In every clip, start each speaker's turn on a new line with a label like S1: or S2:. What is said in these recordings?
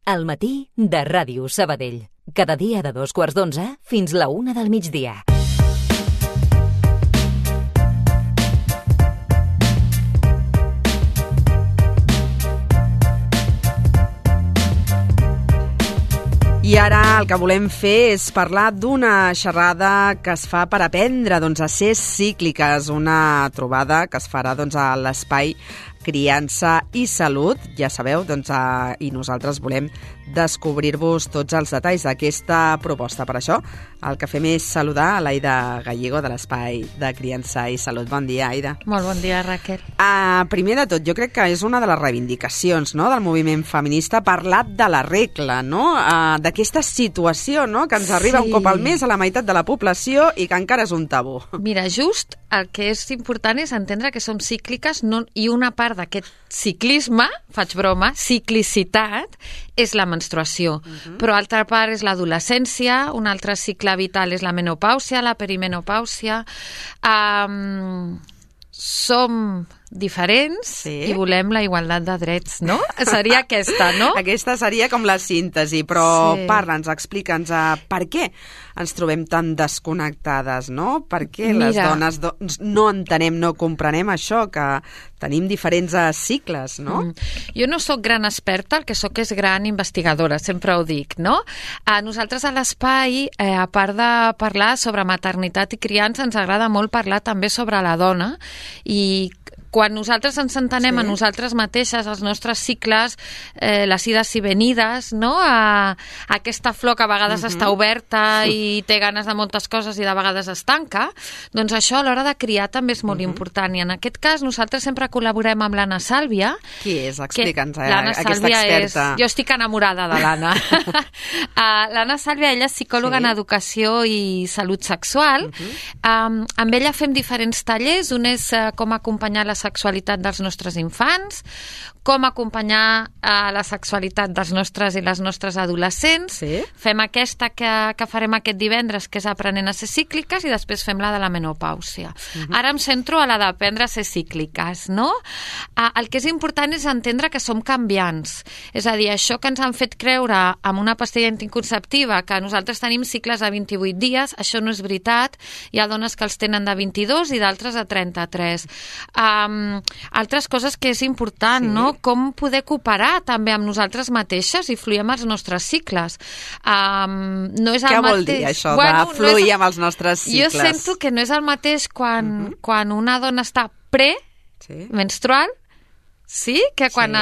S1: Al matí de Ràdio Sabadell. Cada dia de 2:15 fins la 1 del migdia.
S2: I ara el que volem fer és parlar d'una xerrada que es fa per aprendre a ser cícliques, una trobada que es farà a l'espai Criança i Salut, ja sabeu, i nosaltres volem descobrir-vos tots els detalls d'aquesta proposta. Per això, el que fem és saludar a l'Aida Gallego de l'Espai de Criança i Salut. Bon dia, Aida.
S3: Molt bon dia, Raquel.
S2: Primer de tot, jo crec que és una de les reivindicacions del moviment feminista parlar de la regla, d'aquesta situació que ens arriba un cop al mes a la meitat de la població i que encara és un tabú.
S3: Mira, just el que és important és entendre que som cícliques i una part d'aquest ciclisme, faig broma, ciclicitat, és la menstruació. Però altra part és l'adolescència, un altre cicle vital és la menopàusia, la perimenopàusia. Som diferents i volem la igualtat de drets, no? Seria aquesta, no?
S2: Aquesta seria com la síntesi, però parla'ns, explica'ns per què ens trobem tan desconnectades, no? Per què les dones no entenem, no comprenem això, que tenim diferents cicles, no?
S3: Jo no sóc gran experta, el que sóc és gran investigadora, sempre ho dic, no? Nosaltres a l'Espai, a part de parlar sobre maternitat i criança, ens agrada molt parlar també sobre la dona i quan nosaltres ens entenem a nosaltres mateixes, els nostres cicles, les ides i venides, no? Aquesta flor que a vegades està oberta i té ganes de moltes coses i de vegades es tanca, doncs això a l'hora de criar també és molt important. I en aquest cas nosaltres sempre col·laborem amb l'Anna Sàlvia.
S2: Qui és? Explica'ns, aquesta experta.
S3: Jo estic enamorada de l'Anna. L'Anna Sàlvia, ella és psicòloga en educació i salut sexual. Amb ella fem diferents tallers. Un és com acompanyar la sexualitat dels nostres infants, com acompanyar la sexualitat dels nostres i les nostres adolescents. Fem aquesta que farem aquest divendres, que és aprenent a ser cícliques, i després fem la de la menopàusia. Ara em centro a la d'aprendre a ser cícliques, no? El que és important és entendre que som canviants. És a dir, això que ens han fet creure amb una pastilla anticonceptiva, que nosaltres tenim cicles de 28 dies, això no és veritat. Hi ha dones que els tenen de 22 i d'altres de 33. Altres coses que és important, no? Com poder cooperar també amb nosaltres mateixes i fluir amb els nostres cicles. No és
S2: Què vol dir això de fluir amb els nostres cicles?
S3: Jo sento que no és el mateix quan una dona està premenstrual, que quan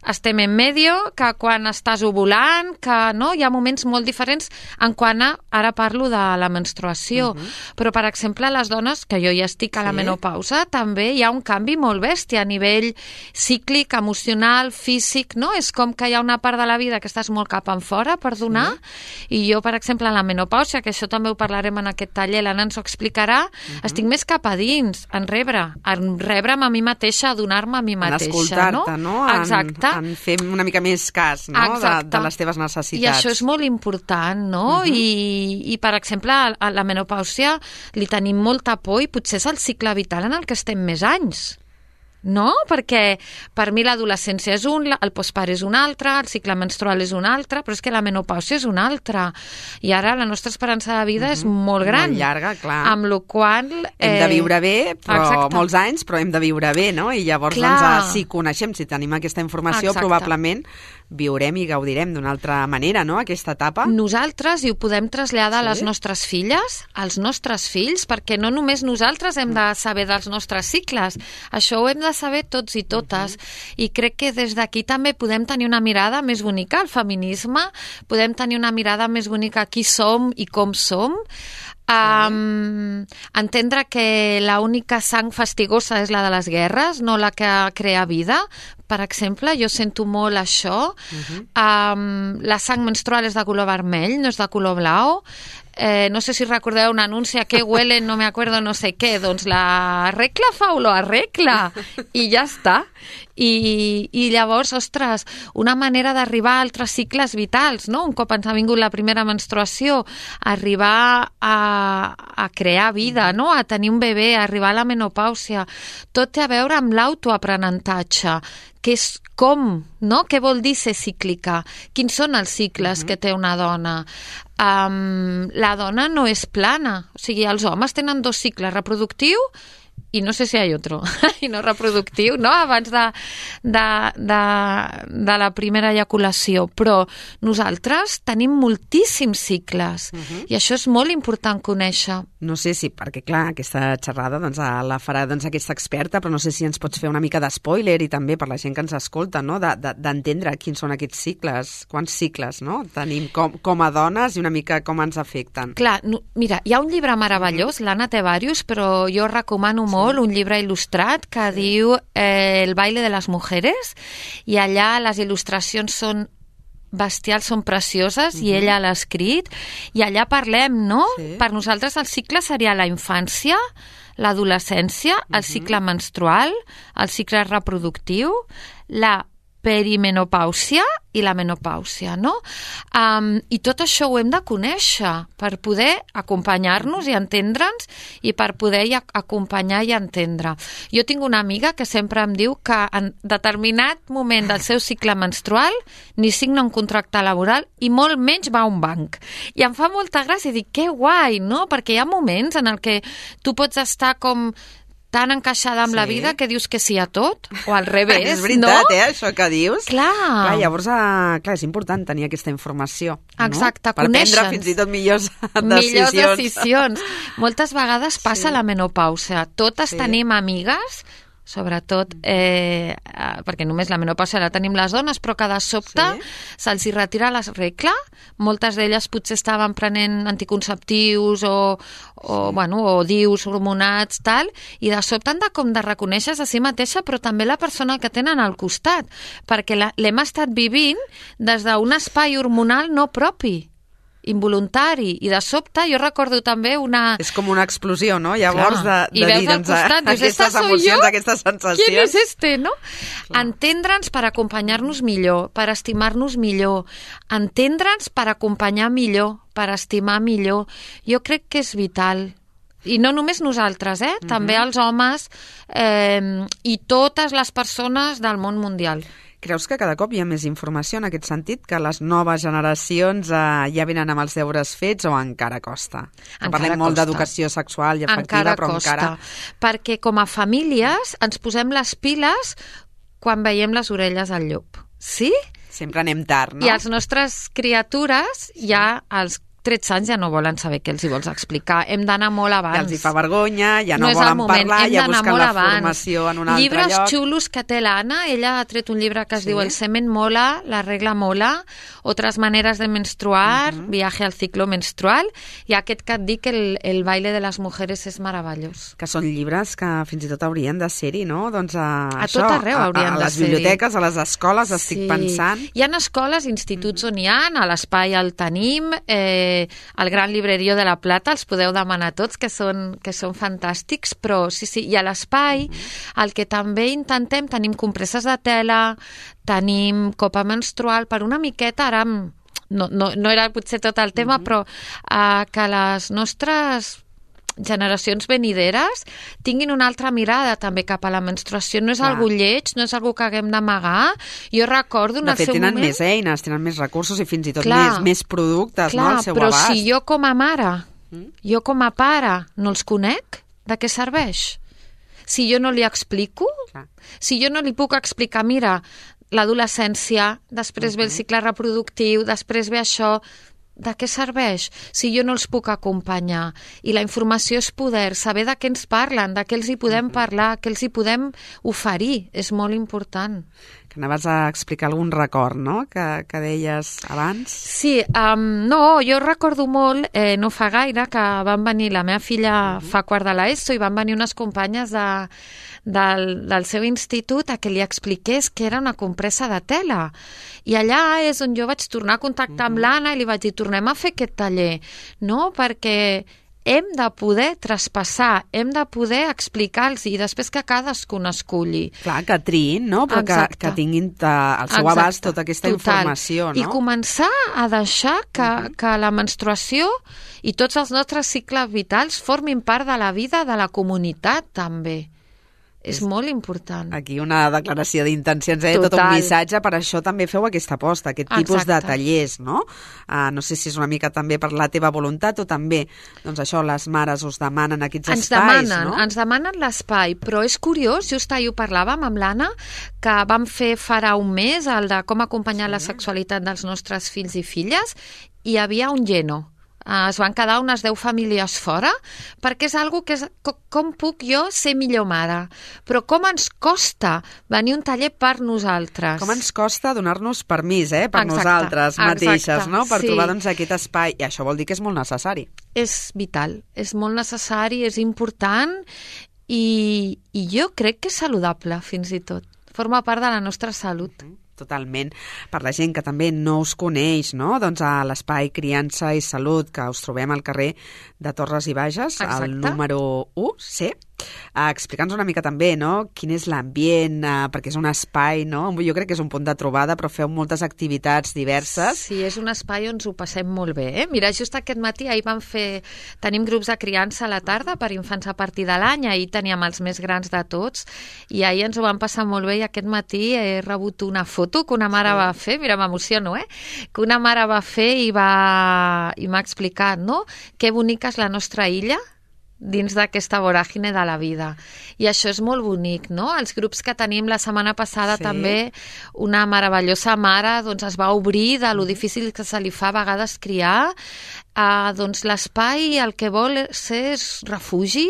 S3: estem en medio, que quan estàs ovulant, que no, hi ha moments molt diferents en quan ara parlo de la menstruació. Però, per exemple, les dones, que jo ja estic a la menopausa, també hi ha un canvi molt bèstia a nivell cíclic, emocional, físic, no? És com que hi ha una part de la vida que estàs molt cap enfora per donar, i jo, per exemple, en la menopàusia, que això també ho parlarem en aquest taller, l'Anna ens ho explicarà, estic més cap a dins, en rebre'm a mi mateixa, a donar-me a mi mateixa.
S2: En escoltar-te, no?
S3: Exacte.
S2: En fer una mica més cas, no? De les teves necessitats.
S3: I això és molt important, no? I per exemple, a la menopàusia li tenim molta por i potser és el cicle vital en el que estem més anys. No? Perquè per mi l'adolescència és un, el postpart és un altre, el cicle menstrual és un altre, però és que la menopàusia és un altre. I ara la nostra esperança de vida és molt gran.
S2: Molt llarga, clar.
S3: Amb la qual
S2: hem de viure bé, però molts anys, però hem de viure bé, no? I llavors, si coneixem, si tenim aquesta informació, probablement viurem i gaudirem d'una altra manera, no?, aquesta etapa.
S3: Nosaltres, i ho podem traslladar a les nostres filles, als nostres fills, perquè no només nosaltres hem de saber dels nostres cicles, això ho hem de saber tots i totes, i crec que des d'aquí també podem tenir una mirada més bonica al feminisme, podem tenir una mirada més bonica a qui som i com som, entendre que l'única sang fastigosa és la de les guerres, no la que crea vida. Per exemple, jo sento molt això. La sang menstrual és de color vermell, no és de color blau. No sé si recordeu un anunci a què huelen, no me acuerdo, no sé què, doncs la regla fa olor a regla i ja està. I llavors, ostres, una manera d'arribar a altres cicles vitals, no? Un cop ens ha vingut la primera menstruació, arribar a crear vida, no? A tenir un bebè, arribar a la menopàusia, tot té a veure amb l'autoaprenentatge. que és com, no? Què vol dir ser cíclica? Quins són els cicles que té una dona? La dona no és plana, o sigui, els homes tenen 2 cicles, reproductiu i no sé si hi ha otro, i no reproductiu, no? Abans de la primera eyaculació, però nosaltres tenim moltíssims cicles i això és molt important conèixer.
S2: No sé si, perquè clar, aquesta xerrada la farà aquesta experta, però no sé si ens pots fer una mica d'espoiler i també per la gent que ens escolta, no? D'entendre quins són aquests cicles, quants cicles no? Tenim com a dones i una mica com ens afecten.
S3: Clar, mira, hi ha un llibre meravellós, l'Anna té diversos, però jo recomano molt un llibre il·lustrat que diu El baile de les mujeres, i allà les il·lustracions són bestials, són precioses, i ella l'ha escrit, i allà parlem, no? Sí. Per nosaltres el cicle seria la infància, l'adolescència, el cicle menstrual, el cicle reproductiu, la perimenopàusia i la menopàusia, no? I tot això ho hem de conèixer per poder acompanyar-nos i entendre'ns i per poder acompanyar i entendre. Jo tinc una amiga que sempre em diu que en determinat moment del seu cicle menstrual ni signa un contracte laboral i molt menys va a un banc. I em fa molta gràcia i dic, que guai, no? Perquè hi ha moments en el que tu pots estar com tan encaixada amb la vida que dius que sí a tot, o al revés,
S2: és veritat, no? Això que dius.
S3: Clar.
S2: Llavors, és important tenir aquesta informació.
S3: Exacte,
S2: no? Per prendre fins i tot millors decisions.
S3: Moltes vegades passa la menopàusia. Totes tenim amigues, sobretot perquè només la menopàusia la tenim les dones, però que de sobte se'ls hi retira la regla. Moltes d'elles potser estaven prenent anticonceptius o DIUs hormonats, tal, i de sobte han de reconèixer a si mateixa, però també la persona que tenen al costat, perquè l'hem estat vivint des d'un espai hormonal no propi, involuntari, i de sobte jo recordo també una...
S2: És com una explosió, no? Llavors de dir, doncs, aquestes emocions, aquestes sensacions...
S3: Qui és este, no? Entendre'ns per acompanyar-nos millor, per estimar-nos millor, entendre'ns per acompanyar millor, per estimar millor. Jo crec que és vital. I no només nosaltres, també els homes i totes les persones del món mundial.
S2: Creus que cada cop hi ha més informació en aquest sentit, que les noves generacions ja venen amb els deures fets o encara costa? Parlem molt d'educació sexual i afectiva, però encara...
S3: Perquè com a famílies ens posem les piles quan veiem les orelles al llop. Sí?
S2: Sempre anem tard, no?
S3: I les nostres criatures ja als 13 anys ja no volen saber què els hi vols explicar. Hem d'anar molt abans.
S2: Ja els hi fa vergonya, ja no volen parlar, ja busquen la formació en un altre lloc.
S3: Llibres xulos que té l'Anna, ella ha tret un llibre que es diu El semen mola, la regla mola, Otras maneres de menstruar, Viaje al ciclo menstrual, i aquest que et dic, el baile de les mujeres, és meravellós.
S2: Que són llibres que fins i tot haurien de ser-hi, no? Doncs
S3: a tot arreu haurien de ser-hi.
S2: A les biblioteques, a les escoles, estic pensant.
S3: Hi ha escoles, instituts on hi ha, a l'Espai el tenim, al Gran Librerio de la Plata, els podeu demanar tots, que són fantàstics, però sí, i a l'Espai el que també intentem, tenim compresses de tela, tenim copa menstrual, per una miqueta, ara no era potser tot el tema, però que les nostres generacions venideres tinguin una altra mirada també cap a la menstruació. No és algo lleig, no és algo que haguem d'amagar. Jo recordo en el seu moment...
S2: De fet, tenen més eines, tenen més recursos i fins i tot més productes, no, al seu abast.
S3: Però si jo com a mare, jo com a pare no els conec, de què serveix? Si jo no li explico, si jo no li puc explicar, mira, l'adolescència, després ve el cicle reproductiu, després ve això... De què serveix si jo no els puc acompanyar? I la informació és poder, saber de què ens parlen, de què els hi podem parlar, què els hi podem oferir, és molt important.
S2: Que anaves a explicar algun record, no?, que deies abans.
S3: Sí, no, jo recordo molt, no fa gaire, que van venir, la meva filla fa quart de l'ESO, i van venir unes companyes del seu institut a que li expliqués que era una compressa de tela. I allà és on jo vaig tornar a contactar amb l'Anna i li vaig dir, tornem a fer aquest taller, no? Perquè hem de poder traspassar, hem de poder explicar-los i després que cadascun esculli.
S2: Clar, que triïn, no? Però que tinguin al seu abast tota aquesta informació, no?
S3: I començar a deixar que la menstruació i tots els nostres cicles vitals formin part de la vida de la comunitat, també. És molt important.
S2: Aquí una declaració d'intencions, tot un missatge, per això també feu aquesta aposta, aquest tipus de tallers, no? No sé si és una mica també per la teva voluntat o també, doncs això, les mares us demanen aquests espais, no?
S3: Ens demanen l'espai, però és curiós, just ahir ho parlàvem amb l'Anna, que vam fer farà un mes el de com acompanyar la sexualitat dels nostres fills i filles, i hi havia un lleno. Es van quedar unes 10 famílies fora, perquè és algo que és com puc jo ser millor mare. Però com ens costa venir un taller per nosaltres.
S2: Com ens costa donar-nos permís, per nosaltres mateixes, no? Per trobar doncs, aquest espai. I això vol dir que és molt necessari.
S3: És vital, és molt necessari, és important i jo crec que és saludable, fins i tot. Forma part de la nostra salut.
S2: Totalment. Per la gent que també no us coneix, no? Doncs a l'Espai Criança i Salut, que us trobem al carrer de Torres i Bages, al número 1, C. Explica'ns una mica també, no? Quin és l'ambient, perquè és un espai, no? Jo crec que és un punt de trobada, però feu moltes activitats diverses.
S3: Sí, és un espai on ens ho passem molt bé. Mira, just aquest matí, ahir tenim grups de criança a la tarda per infants a partir de l'any, ahir teníem els més grans de tots, i ahir ens ho vam passar molt bé, i aquest matí he rebut una foto que una mare va fer, mira, m'emociono, que una mare va fer i m'ha explicat, no?, que bonica és la nostra illa, dins d'aquesta voràgine de la vida. I això és molt bonic, no? Els grups que tenim la setmana passada també, una meravellosa mare doncs, es va obrir de lo difícil que se li fa a vegades criar. Doncs l'espai el que vol ser és refugi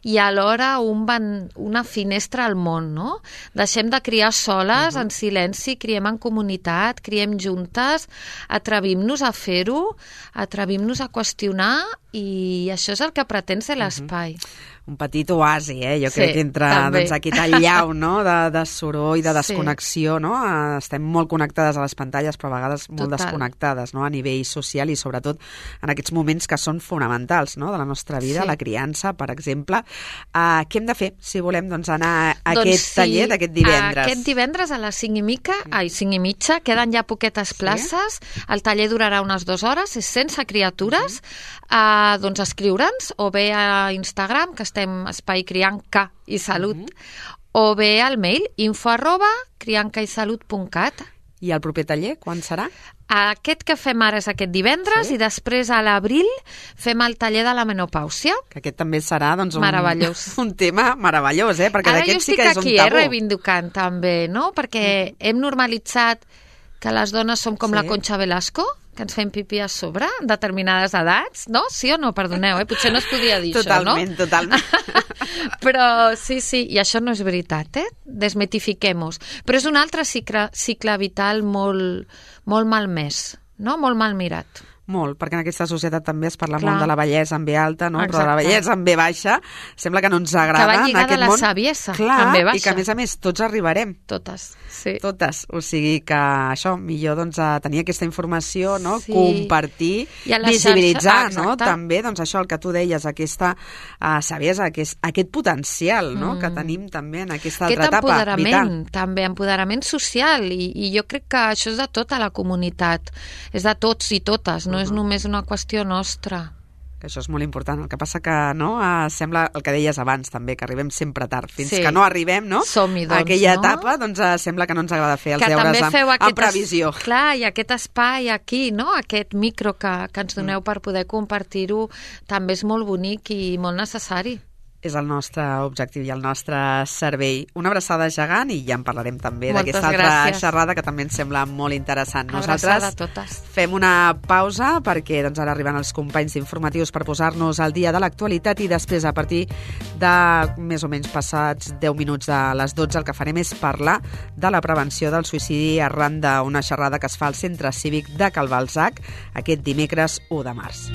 S3: i alhora una finestra al món, no? Deixem de criar soles, en silenci, criem en comunitat, criem juntes, atrevim-nos a fer-ho, atrevim-nos a qüestionar, i això és el que pretén ser l'espai.
S2: Un petit oasi, jo crec que entre doncs, aquest allau, no? de soroll, de desconnexió, no? Estem molt connectades a les pantalles, però a vegades molt desconnectades, no? A nivell social i sobretot en aquests moments que són fonamentals, no? De la nostra vida, la criança, per exemple. Què hem de fer si volem doncs, anar a aquest taller d'aquest divendres?
S3: Aquest divendres a les 5:30, queden ja poquetes places, el taller durarà unes 2 hores, és sense criatures, doncs escriure'ns o bé a Instagram, que estem Espai Crianca i Salut, o bé al mail info@criancaisalut.cat.
S2: I el proper taller, quan serà?
S3: Aquest que fem ara és aquest divendres i després a l'abril fem el taller de la menopàusia.
S2: Que aquest també serà doncs,
S3: meravellós.
S2: Un tema meravellós, perquè d'aquest sí que és un tabú.
S3: Ara jo estic aquí reivindicant també, no? Perquè hem normalitzat que les dones som com la Concha Velasco, que ens fem pipí a sobre en determinades edats, no? Sí o no? Perdoneu, potser no es podia dir
S2: totalment,
S3: això, no?
S2: Totalment.
S3: Però sí, i això no és veritat, Desmitifiquem-ho. Però és un altre cicle vital molt malmès, no? Molt mal mirat.
S2: Molt, perquè en aquesta societat també es parla molt de la bellesa en B alta, no? Però de la bellesa en B baixa sembla que no ens agrada.
S3: Que va lligada a la saviesa en B baixa.
S2: I que a més tots arribarem.
S3: Totes, sí.
S2: Totes, o sigui que això, millor doncs tenir aquesta informació, no? Compartir, visibilitzar, no? També, doncs això, el que tu deies, aquesta saviesa, aquest potencial, no? Que tenim també en aquesta altra etapa vital.
S3: També empoderament social, i jo crec que això és de tota la comunitat, és de tots i totes, no és només una qüestió nostra.
S2: Això és molt important. El que passa que sembla el que deies abans també, que arribem sempre tard. Fins que no arribem, no?
S3: Som-hi, doncs,
S2: a aquella etapa, doncs sembla que no ens agrada fer els deures en previsió.
S3: Clar, i aquest espai aquí, no? Aquest micro que ens doneu per poder compartir-ho també és molt bonic i molt necessari.
S2: És el nostre objectiu i el nostre servei. Una abraçada gegant i ja en parlarem també d'aquesta altra xerrada que també ens sembla molt interessant.
S3: Abraçada a totes.
S2: Fem una pausa perquè doncs, ara arriben els companys informatius per posar-nos al dia de l'actualitat i després a partir de més o menys passats 10 minuts de les 12 el que farem és parlar de la prevenció del suïcidi arran d'una xerrada que es fa al Centre Cívic de Cal Balzac aquest dimecres 1 de març.